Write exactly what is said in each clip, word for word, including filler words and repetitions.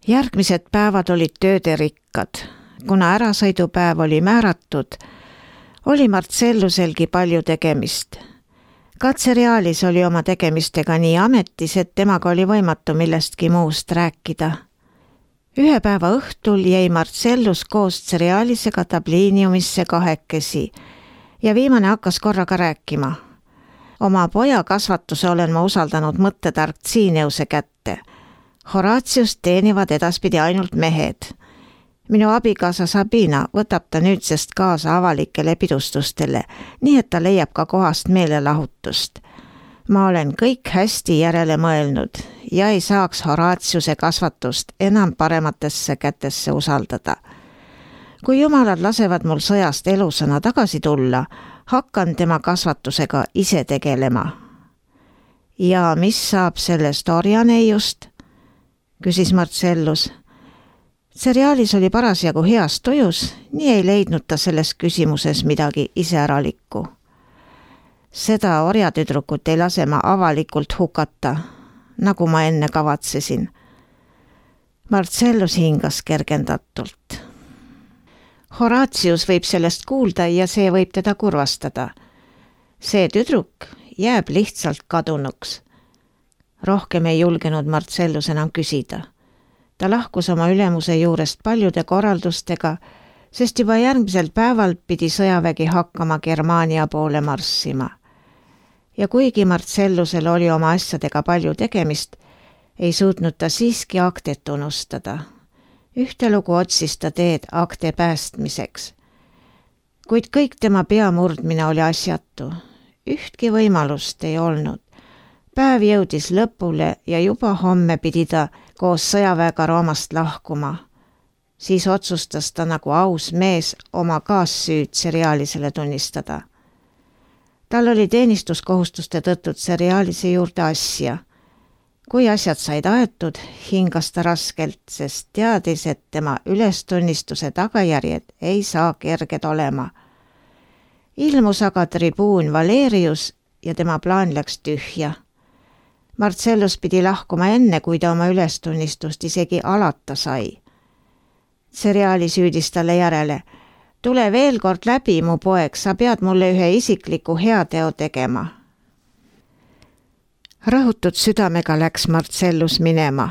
Järgmised päevad olid tööderikkad. Kuna ärasõidupäev oli määratud, oli Marcelluselgi palju tegemist. Katsereaalis oli oma tegemistega nii ametis, et temaga oli võimatu millestki muust rääkida. Ühe päeva õhtul jäi Marcellus koos Cerealisega tabliiniumisse kahekesi ja viimane hakkas korraga rääkima. Oma poja kasvatuse olen ma usaldanud mõttetark Tsiineuse kätte. Horatiust teenivad edaspidi ainult mehed. Minu abikaasa Sabina võtab ta nüüdsest kaasa avalikele pidustustele, nii et ta leiab ka kohast meelelahutust. Ma olen kõik hästi järele mõelnud ja ei saaks Horatiuse kasvatust enam parematesse kätesse usaldada. Kui jumalad lasevad mul sõjast elusana tagasi tulla, hakkan tema kasvatusega ise tegelema. Ja mis saab sellest orjaneiust? Küsis Marcellus. Cerealis oli parasjagu heas tujus, nii ei leidnud ta selles küsimuses midagi iseäralikku. Seda orjatüdrukut ei lase ma avalikult hukata, nagu ma enne kavatsesin. Marcellus hingas kergendatult. Horatius võib sellest kuulda ja see võib teda kurvastada. See tüdruk jääb lihtsalt kadunuks. Rohkem ei julgenud Marcellus enam küsida. Ta lahkus oma ülemuse juurest paljude korraldustega, sest juba järgmisel päeval pidi sõjavägi hakkama Germaania poole marssima. Ja kuigi Marcellusel oli oma asjadega palju tegemist, ei suutnud ta siiski aktet unustada. Ühtelugu otsis ta teed akte päästmiseks. Kuid kõik tema pea murdmine oli asjatu. Ühtki võimalust ei olnud. Päev jõudis lõpule ja juba homme pidi ta koos sõjaväega Roomast lahkuma. Siis otsustas ta nagu aus mees oma kaassüüd Cerealisele tunnistada. Tal oli teenistuskohustuste tõttu Cerealise juurde asja. Kui asjad said aetud, hingas ta raskelt, sest teadis, et tema ülestunnistuse tagajärjed ei saa kerged olema. Ilmus aga tribuun Valerius ja tema plaan läks tühja. Marcellus pidi lahkuma enne, kui ta oma ülestunnistust isegi alata sai. Cereali süüdis talle järele. Tule veel kord läbi, mu poeg, sa pead mulle ühe isikliku heateo tegema. Rahutud südamega läks Marcellus minema.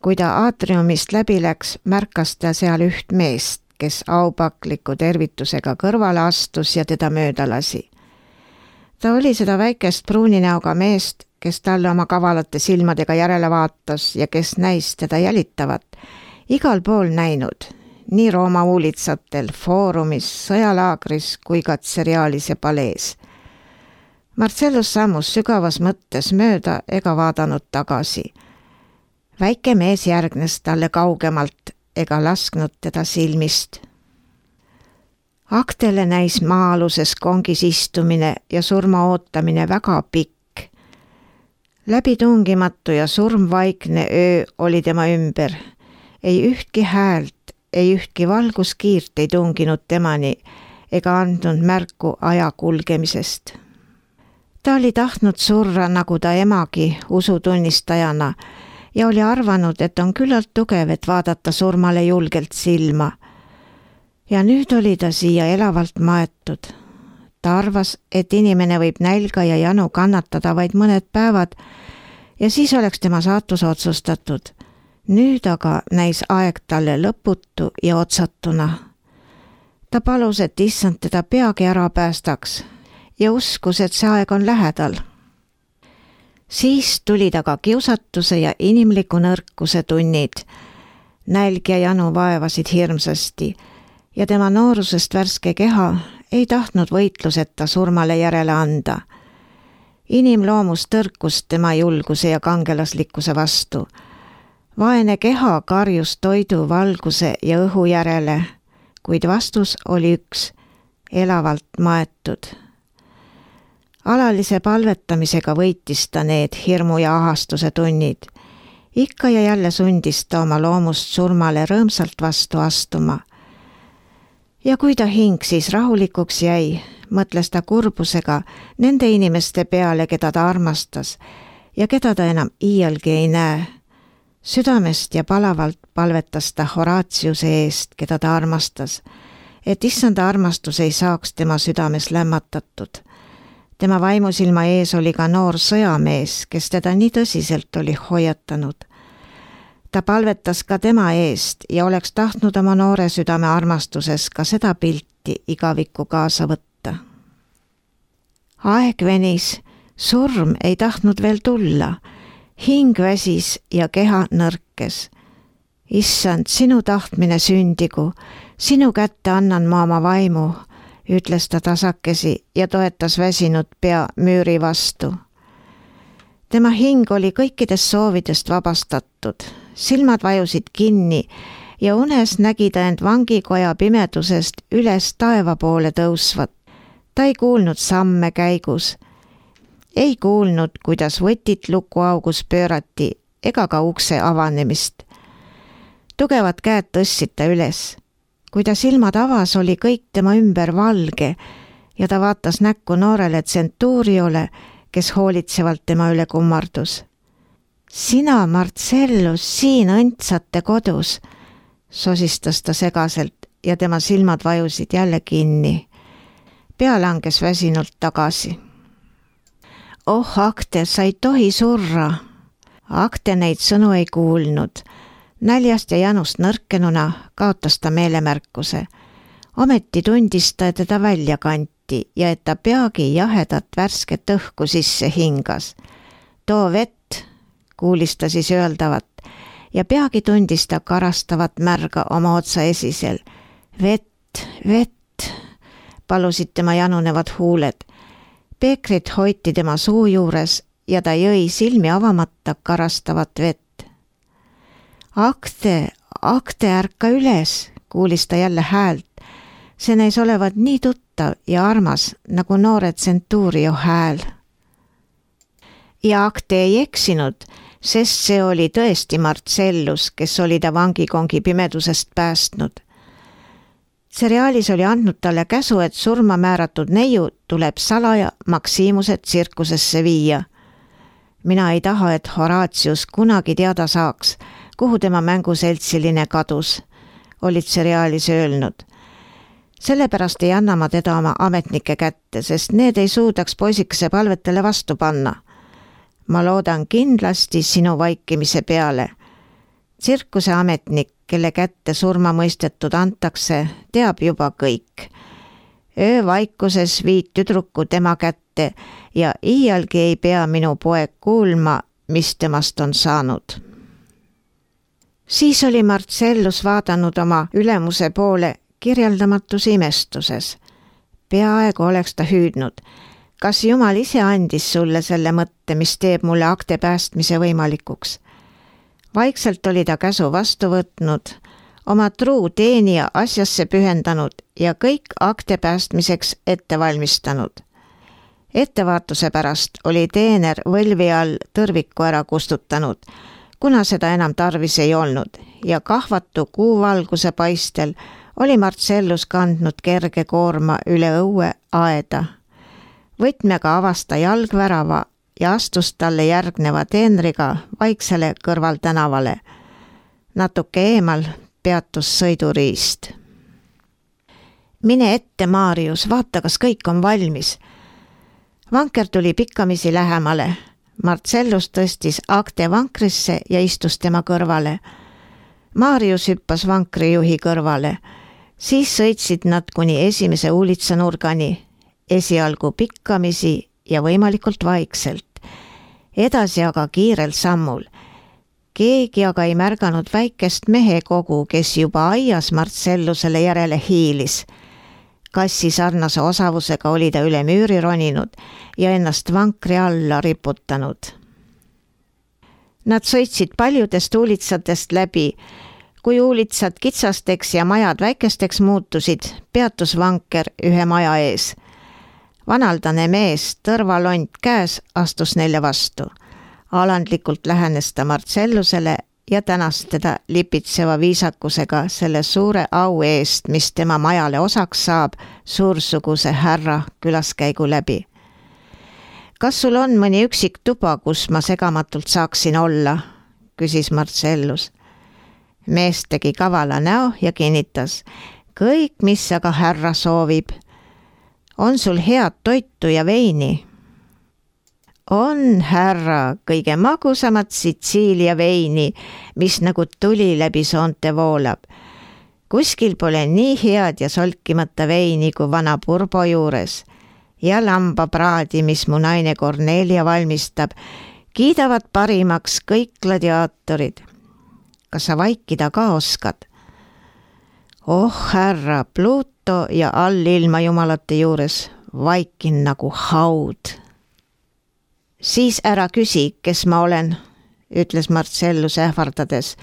Kui ta aatriumist läbi läks, märkas ta seal üht meest, kes aupakliku tervitusega kõrvale astus ja teda mööda lasi. Ta oli seda väikest pruuni näoga meest, kes talle oma kavalate silmadega järele vaatas ja kes näis teda jälitavat, igal pool näinud, nii Rooma uulitsatel, foorumis, sõjalaagris kui ka Cerealise palees. Marcellus sammus sügavas mõttes mööda ega vaadanud tagasi. Väike mees järgnes talle kaugemalt ega lasknud teda silmist. Aktele näis maa-aluses kongis istumine ja surma ootamine väga pikk. Läbitungimatu ja surmvaikne öö oli tema ümber. Ei ühtki häält, ei ühtki valguskiirt ei tunginud temani ega andnud märku aja kulgemisest. Ta oli tahtnud surra nagu ta emagi usutunnistajana ja oli arvanud, et on küllalt tugev, et vaadata surmale julgelt silma. Ja nüüd oli ta siia elavalt maetud. Ta arvas, et inimene võib nälga ja janu kannatada vaid mõned päevad ja siis oleks tema saatus otsustatud. Nüüd aga näis aeg talle lõputu ja otsatuna. Ta palus, et issand teda peagi ära päästaks ja uskus, et see aeg on lähedal. Siis tuli ta ka kiusatuse ja inimliku nõrkuse tunnid. Nälg ja janu vaevasid hirmsasti ja tema noorusest värske keha ei tahtnud võitluseta surmale järele anda. Inimloomus tõrkus tema julguse ja kangelaslikkuse vastu. Vaene keha karjus toidu, valguse ja õhu järele, kuid vastus oli üks, elavalt maetud. Alalise palvetamisega võitis ta need hirmu ja ahastuse tunnid. Ikka ja jälle sundis ta oma loomust surmale rõõmsalt vastu astuma. Ja kui ta hing siis rahulikuks jäi, mõtles ta kurbusega nende inimeste peale, keda ta armastas ja keda ta enam iialgi ei näe. Südamest ja palavalt palvetas ta Horatiuse eest, keda ta armastas, et issanda armastus ei saaks tema südames lämmatatud. Tema vaimusilma ees oli ka noor sõjamees, kes teda nii tõsiselt oli hoiatanud. Ta palvetas ka tema eest ja oleks tahtnud oma noore südame armastuses ka seda pilti igavikku kaasa võtta. Aeg venis, surm ei tahtnud veel tulla, hing väsis ja keha nõrkes. Issand, sinu tahtmine sündigu, sinu kätte annan ma oma vaimu, ütles ta tasakesi ja toetas väsinud pea müüri vastu. Tema hing oli kõikidest soovidest vabastatud, silmad vajusid kinni ja unes nägi ta end vangikoja pimedusest üles taeva poole tõusvat. Ta ei kuulnud samme käigus, ei kuulnud, kuidas võtit lukuaugus pöörati ega ka ukse avanemist. Tugevad käed tõstsid ta üles. Kui ta silmad avas, oli kõik tema ümber valge ja ta vaatas näkku noorele tsentuuriole, kes hoolitsevalt tema üle kummardus. Sina, Marcellus, siin õndsate kodus, sosistas ta segaselt ja tema silmad vajusid jälle kinni. Pea langes väsinult tagasi. Oh, Akte, sa ei tohi surra. Akte neid sõnu ei kuulnud. Näljast ja janust nõrkenuna kaotas ta meelemärkuse. Ometi tundis ta, et teda välja kanti ja et ta peagi jahedat värsket õhku sisse hingas. Too vett, kuulis ta siis öeldavat ja peagi tundis ta karastavat märga oma otsa esisel. Vett, vett, palusid tema janunevad huuled. Peekrit hoiti tema suu juures ja ta jõi silmi avamata karastavat vett. Akte, Akte, ärka üles, kuulis ta jälle häält. See näis olevat nii tuttav ja armas nagu noore tsentuurio hääl. Ja Akte ei eksinud, sest see oli tõesti Marcellus, kes oli ta vangikongi pimedusest päästnud. Seriaalis oli andnud talle käsu, et surma määratud neiu tuleb salaja Maximuse tsirkusesse viia. Mina ei taha, et Horatius kunagi teada saaks, kuhu tema mänguseltsiline kadus, olid seriaalis öelnud. Sellepärast ei anna ma teda oma ametnike kätte, sest need ei suudaks poisikese palvetele vastu panna. Ma loodan kindlasti sinu vaikimise peale. Tsirkuse ametnik, kelle kätte surma mõistetud antakse, teab juba kõik. Öövaikuses viid tüdruku tema kätte ja iialgi ei pea minu poeg kuulma, mis temast on saanud. Siis oli Marcellus vaadanud oma ülemuse poole kirjeldamatus imestuses. Peaaegu oleks ta hüüdnud. Kas Jumal ise andis sulle selle mõtte, mis teeb mulle Akte päästmise võimalikuks? Vaikselt oli ta käsu vastu võtnud, oma truu teenija asjasse pühendanud ja kõik Akte päästmiseks ette valmistanud. Ettevaatuse pärast oli teener võlvi all tõrviku ära kustutanud, kuna seda enam tarvis ei olnud ja kahvatu kuuvalguse paistel oli Marcellus kandnud kerge koorma üle õue aeda. Võtmega avas ta jalgvärava ja astus talle järgneva teenriga vaiksele kõrvaltänavale. Natuke eemal peatus sõiduriist. Mine ette, Marius, vaata, kas kõik on valmis. Vanker tuli pikkamisi lähemale. Marcellus tõstis Akte vankrisse ja istus tema kõrvale. Marius hüppas vankrijuhi kõrvale. Siis sõitsid nad kuni esimese uulitsanurgani, esialgu pikkamisi ja võimalikult vaikselt. Edasi aga kiirel sammul. Keegi aga ei märganud väikest mehekogu, kes juba aias Marcellusele järele hiilis. Kassi sarnase osavusega oli ta üle müüri roninud ja ennast vankri alla riputanud. Nad sõitsid paljudest uulitsatest läbi. Kui uulitsad kitsasteks ja majad väikesteks muutusid, peatus vanker ühe maja ees. Vanaldane mees, tõrvalont käes, astus neile vastu. Alandlikult lähenes ta Marcellusele ja tänas teda lipitseva viisakusega selle suure au eest, mis tema majale osaks saab suursuguse härra külaskäigu läbi. Kas sul on mõni üksik tuba, kus ma segamatult saaksin olla? küsis Marcellus. Mees tegi kavala näo ja kinnitas. Kõik, mis aga härra soovib. On sul head toitu ja veini? On, härra, kõige magusamat Sitsiilia veini, mis nagu tuli läbi soonte voolab. Kuskil pole nii head ja solkimata veini kui vana Purbo juures. Ja lambapraadi, mis mu naine Kornelia valmistab, kiidavad parimaks kõik gladiaatorid. Kas sa vaikida ka oskad? Oh, härra, Pluto ja allilma jumalate juures vaikin nagu haud. Siis ära küsi, kes ma olen, ütles Marcellus ähvardades.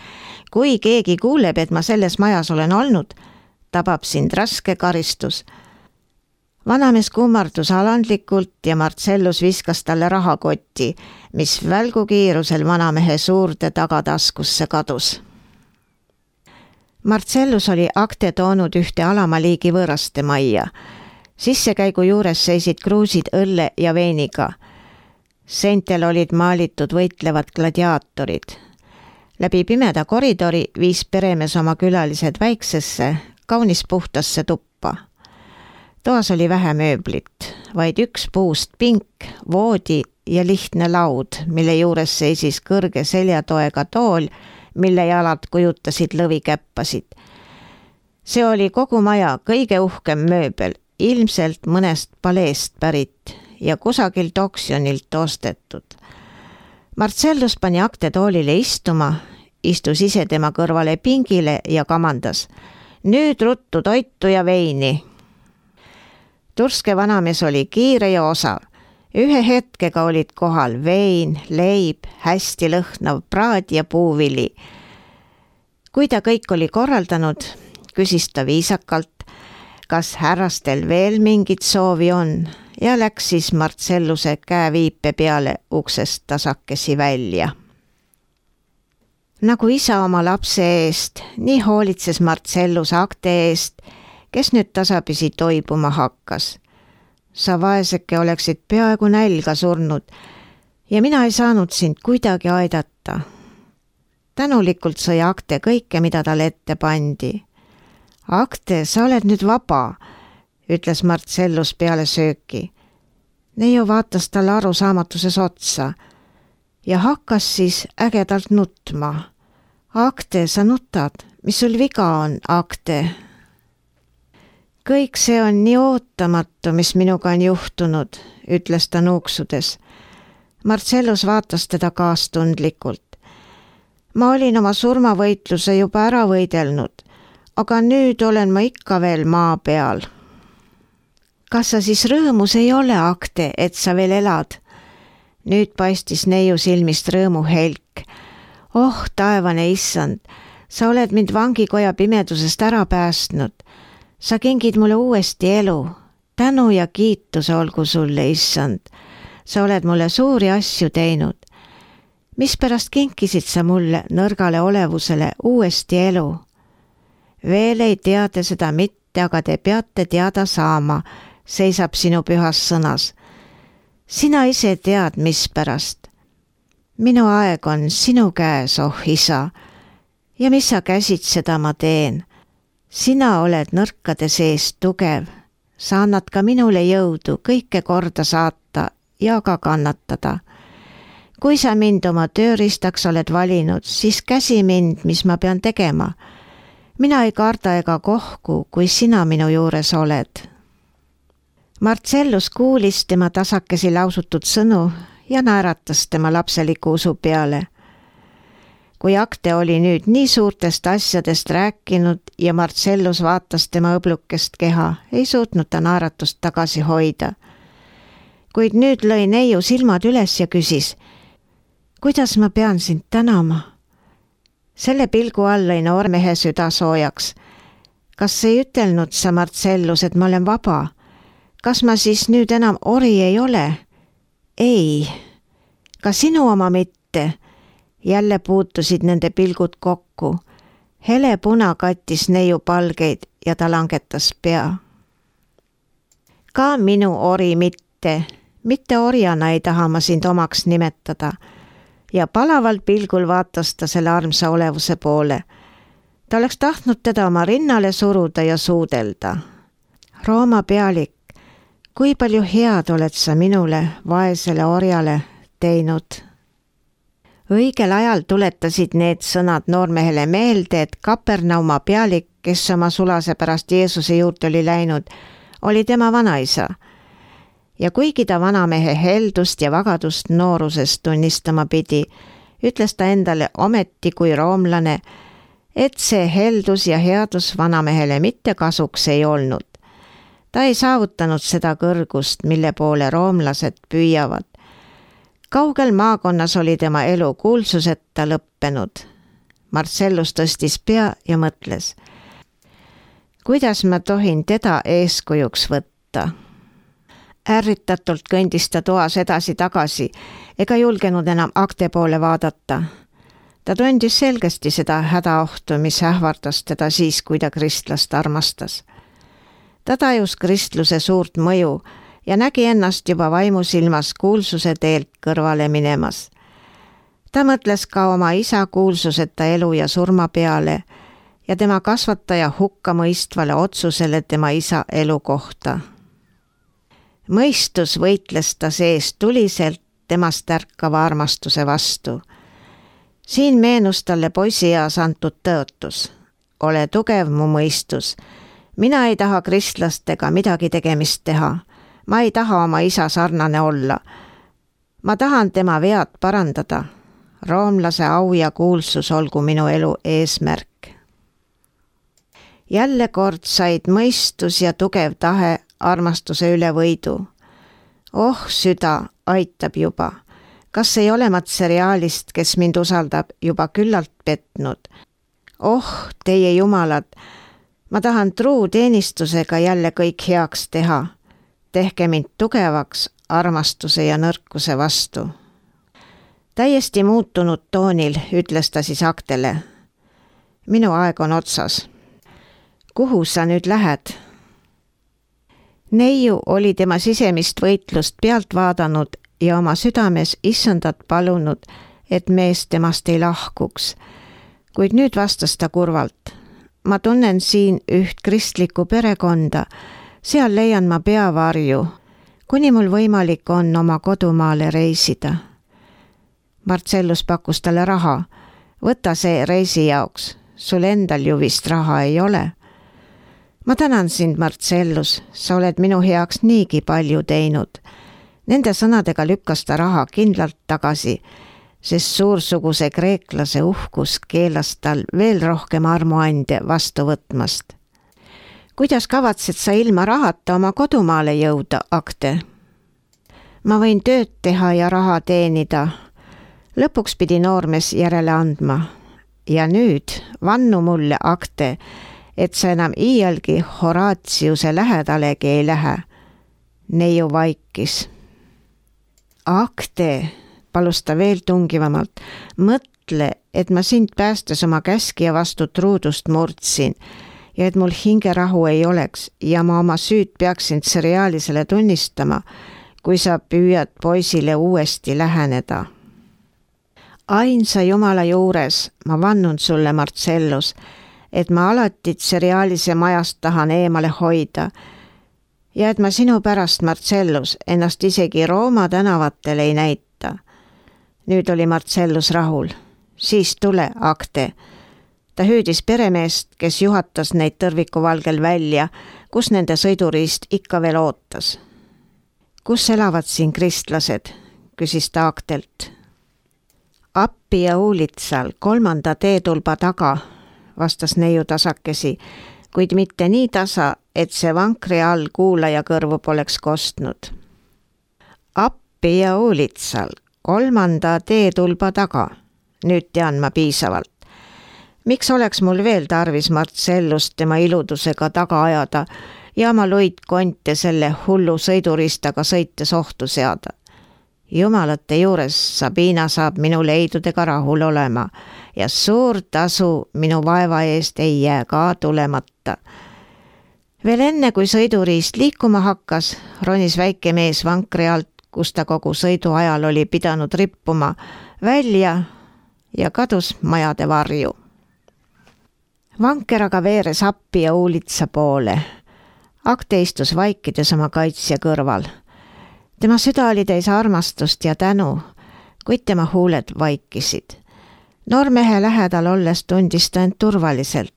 Kui keegi kuuleb, et ma selles majas olen olnud, tabab sind raske karistus. Vanamees kummardus alandlikult ja Marcellus viskas talle rahakotti, mis välgukiirusel vanamehe suurde tagataskusse kadus. Marcellus oli akte toonud ühte alamaliigi võõraste majja. Sissekäigu juures seisid kruusid õlle ja veiniga. Seintel olid maalitud võitlevad gladiaatorid. Läbi pimeda koridori viis peremees oma külalised väiksesse, kaunis puhtasse tuppa. Toas oli vähe mööblit, vaid üks puust pink, voodi ja lihtne laud, mille juures seisis kõrge seljatoega tool, mille jalad kujutasid lõvikäppasid. See oli kogu maja kõige uhkem mööbel, ilmselt mõnest paleest pärit ja kusagilt oksjonilt ostetud. Marcellus pani akte toolile istuma, istus ise tema kõrvale pingile ja kamandas. Nüüd ruttu toitu ja veini. Turske vanamees oli kiire ja osav. Ühe hetkega olid kohal vein, leib, hästi lõhnav praad ja puuvili. Kui ta kõik oli korraldanud, küsis ta viisakalt, kas härrastel veel mingit soovi on ja läks siis Marcelluse käeviipe peale uksest tasakesi välja. Nagu isa oma lapse eest, nii hoolitses Marcellus akte eest, kes nüüd tasapisi toibuma hakkas. Sa vaeseke oleksid peaaegu nälga surnud ja mina ei saanud sind kuidagi aidata. Tänulikult sõi akte kõike, mida talle ette pandi. Akte, sa oled nüüd vaba, ütles Marcellus peale sööki. Neiu vaatas talle arusaamatuses otsa ja hakkas siis ägedalt nutma. Akte, sa nutad, mis sul viga on, Akte? Kõik see on nii ootamatu, mis minuga on juhtunud, ütles ta nuuksudes. Marcellus vaatas teda kaastundlikult. Ma olin oma surmavõitluse juba ära võidelnud, aga nüüd olen ma ikka veel maa peal. Kas sa siis rõõmus ei ole, Akte, et sa veel elad? Nüüd paistis neiu silmist rõõmu helk. Oh, taevane issand, sa oled mind vangikoja pimedusest ära päästnud. Sa kingid mulle uuesti elu. Tänu ja kiituse olgu sulle, issand. Sa oled mulle suuri asju teinud. Mispärast kinkisid sa mulle nõrgale olevusele uuesti elu? Veel ei tea te seda mitte, aga te peate teada saama, seisab sinu pühas sõnas. Sina ise tead, mispärast. Minu aeg on sinu käes, oh isa, ja mis sa käsid, seda ma teen. Sina oled nõrkade sees tugev, sa annad ka minule jõudu kõike korda saata ja ka kannatada. Kui sa mind oma tööriistaks oled valinud, siis käsi mind, mis ma pean tegema. Mina ei karda ega kohku, kui sina minu juures oled. Marcellus kuulis tema tasakesi lausutud sõnu ja naeratas tema lapseliku usu peale. Kui Akte oli nüüd nii suurtest asjadest rääkinud ja Marcellus vaatas tema õblukest keha, ei suutnud ta naeratust tagasi hoida. Kuid nüüd lõi neiu silmad üles ja küsis, kuidas ma pean sind tänama? Selle pilgu all lõi noormehe süda soojaks. Kas ei ütelnud sa, Marcellus, et ma olen vaba? Kas ma siis nüüd enam ori ei ole? Ei, ka sinu oma mitte. Jälle puutusid nende pilgud kokku. Hele puna kattis neiu palgeid ja ta langetas pea. Ka minu ori mitte, mitte orjana ei taha ma sind omaks nimetada. ja palaval pilgul vaatas ta selle armsa olevuse poole. Ta oleks tahtnud teda oma rinnale suruda ja suudelda. Rooma pealik, kui palju head oled sa minule, vaesele orjale, teinud. Õigel ajal tuletasid need sõnad noormehele meelde, et Kapernauma pealik, kes oma sulase pärast Jeesuse juurde oli läinud, oli tema vanaisa. Ja kuigi ta vanamehe heldust ja vagadust noorusest tunnistama pidi, ütles ta endale ometi kui roomlane, et see heldus ja headus vanamehele mitte kasuks ei olnud. Ta ei saavutanud seda kõrgust, mille poole roomlased püüavad. Kaugel maakonnas oli tema elu kuulsuseta lõppenud. Marcellus tõstis pea ja mõtles, kuidas ma tohin teda eeskujuks võtta. Ärritatult kõndis ta toas edasi tagasi ega julgenud enam akte poole vaadata. Ta tundis selgesti seda hädaohtu, mis ähvardas teda siis, kui ta kristlast armastas. Ta tajus kristluse suurt mõju ja nägi ennast juba vaimusilmas kuulsuse teelt kõrvale minemas. Ta mõtles ka oma isa kuulsuseta elu ja surma peale ja tema kasvataja hukkamõistvale otsusele tema isa elu kohta. Mõistus võitles ta sees tuliselt temast ärkava armastuse vastu. Siin meenus talle poisieas antud tõotus. Ole tugev mu mõistus. Mina ei taha kristlastega midagi tegemist teha. Ma ei taha oma isa sarnane olla. Ma tahan tema vead parandada. Roomlase au ja kuulsus olgu minu elu eesmärk. Jälle kord said mõistus ja tugev tahe armastuse üle võidu. Oh, süda aitab juba. Kas ei ole matseriaalist, kes mind usaldab, juba küllalt petnud? Oh, teie jumalad, ma tahan truu teenistusega jälle kõik heaks teha. Tehke mind tugevaks armastuse ja nõrkuse vastu. Täiesti muutunud toonil ütles ta siis Aktele. Minu aeg on otsas. Kuhu sa nüüd lähed? Neiu oli tema sisemist võitlust pealt vaadanud ja oma südames issandat palunud, et mees temast ei lahkuks. Kuid nüüd vastas ta kurvalt. Ma tunnen siin üht kristlikku perekonda, seal leian ma peavarju, kuni mul võimalik on oma kodumaale reisida. Marcellus pakkus talle raha. Võta see reisi jaoks, sul endal ju vist raha ei ole. Ma tänan sind, Marcellus, sa oled minu heaks niigi palju teinud. Nende sõnadega lükkas ta raha kindlalt tagasi, sest suursuguse kreeklase uhkus keelas tal veel rohkem armuande vastu võtmast. Kuidas kavatsed sa ilma rahata oma kodumaale jõuda, Akte? Ma võin tööd teha ja raha teenida. Lõpuks pidi noormees järele andma. Ja nüüd vannu mulle, Akte, et sa enam iialgi Horatiuse lähedalegi ei lähe. Neiu vaikis. Akte, palus ta veel tungivamalt, mõtle, et ma sind päästes oma käskija vastu truudust murdsin ja et mul hingerahu ei oleks ja ma oma süüd peaksin seriaalisele tunnistama, kui sa püüad poisile uuesti läheneda. Ainsa Jumala juures ma vannun sulle, Marcellus, et ma alati seriaalise majast tahan eemale hoida ja et ma sinu pärast, Marcellus, ennast isegi Rooma tänavatel ei näita. Nüüd oli Marcellus rahul. Siis tule, Akte. Ta hüüdis peremeest, kes juhatas neid tõrvikuvalgel välja, kus nende sõiduriist ikka veel ootas. Kus elavad siin kristlased? Küsis ta Aktelt. Appi ja Uulitsal kolmanda teetulba taga, vastas neiu tasakesi, kuid mitte nii tasa, et see vankri all kuulaja kõrvu poleks kostnud. Appi ja Uulitsal kolmanda teetulba taga. Nüüd tean ma piisavalt. Miks oleks mul veel tarvis Marcellust tema iludusega taga ajada ja oma luid konte selle hullu sõiduristaga sõites ohtu seada? Jumalate juures Sabina saab minu leidudega rahul olema ja suur tasu minu vaeva eest ei jää ka tulemata. Veel enne, kui sõiduriist liikuma hakkas, ronis väike mees vankri alt, kus ta kogu sõidu ajal oli pidanud rippuma, välja ja kadus majade varju. Vanker aga veeres appi ja Uulitsa poole. Akte istus vaikides oma kaitsja kõrval. Tema süda oli täis armastust ja tänu, kuid tema huuled vaikisid. Noormehe lähedal olles tundis ta end turvaliselt.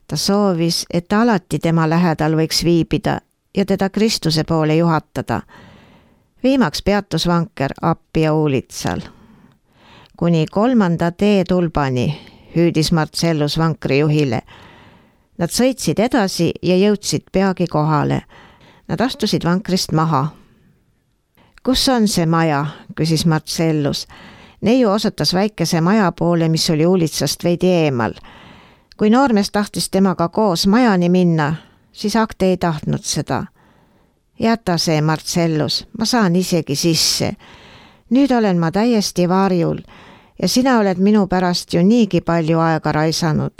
Ta soovis, et ta alati tema lähedal võiks viibida ja teda Kristuse poole juhatada. Viimaks peatus vanker appi ja Uulitsal. Kuni kolmanda teetulbani hüüdis Marcellus vankri juhile. Nad sõitsid edasi ja jõudsid peagi kohale. Nad astusid vankrist maha. Kus on see maja, küsis Marcellus. Neiu osutas väikese maja poole, mis oli Uulitsast veidi eemal. Kui noormees tahtis temaga koos majani minna, siis Akte ei tahtnud seda. Jäta see, Marcellus, ma saan isegi sisse. Nüüd olen ma täiesti varjul ja sina oled minu pärast ju niigi palju aega raisanud.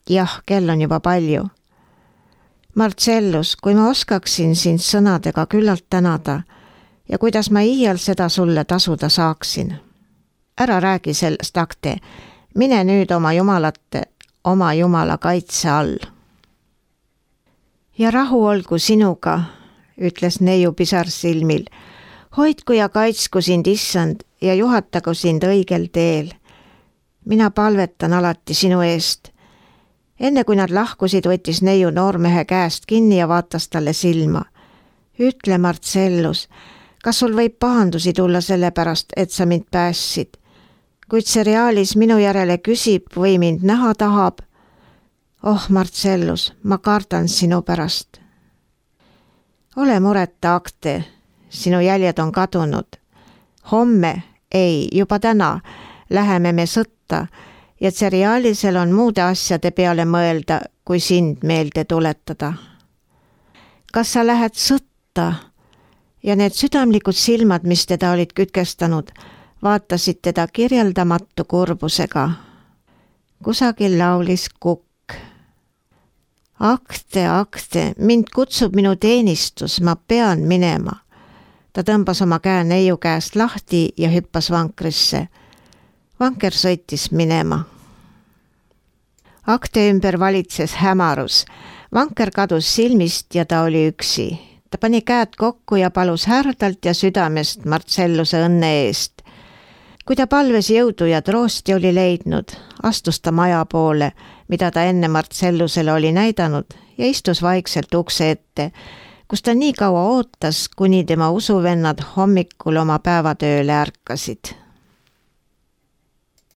Jah, kell on juba palju. Marcellus, kui ma oskaksin sind sõnadega küllalt tänada ja kuidas ma iial seda sulle tasuda saaksin. Ära räägi sellest, Akte. Mine nüüd oma jumalate, oma jumala kaitse all. Ja rahu olgu sinuga, ütles neiu pisar silmil. Hoidku ja kaitsku sind issand ja juhatagu sind õigel teel. Mina palvetan alati sinu eest. Enne kui nad lahkusid, võttis neiu noormehe käest kinni ja vaatas talle silma. Ütle, Marcellus, kas sul võib pahandusi tulla selle pärast, et sa mind päässid? Kuid see reaalis minu järele küsib või mind näha tahab. Oh, Marcellus, ma kardan sinu pärast. Ole mureta, Akte, sinu jäljed on kadunud. Homme, ei, juba täna, läheme me sõtta ja Tserialisel on muude asjade peale mõelda, kui sind meelde tuletada. Kas sa lähed sõtta? Ja need südamlikud silmad, mis teda olid kütkestanud, vaatasid teda kirjeldamatu kurbusega. Kusagil laulis kukk. Akte, Akte, mind kutsub minu teenistus, ma pean minema. Ta tõmbas oma käe neiu käest lahti ja hüppas vankrisse. Vanker sõitis minema. Akte ümber valitses hämarus. Vanker kadus silmist ja ta oli üksi. Ta pani käed kokku ja palus härdalt ja südamest Marcelluse õnne eest. Kui ta palves jõudu ja troosti oli leidnud, astus ta maja poole, mida ta enne Marcellusele oli näidanud ja istus vaikselt ukse ette, kus ta nii kaua ootas, kuni tema usuvennad hommikul oma päevatööle ärkasid.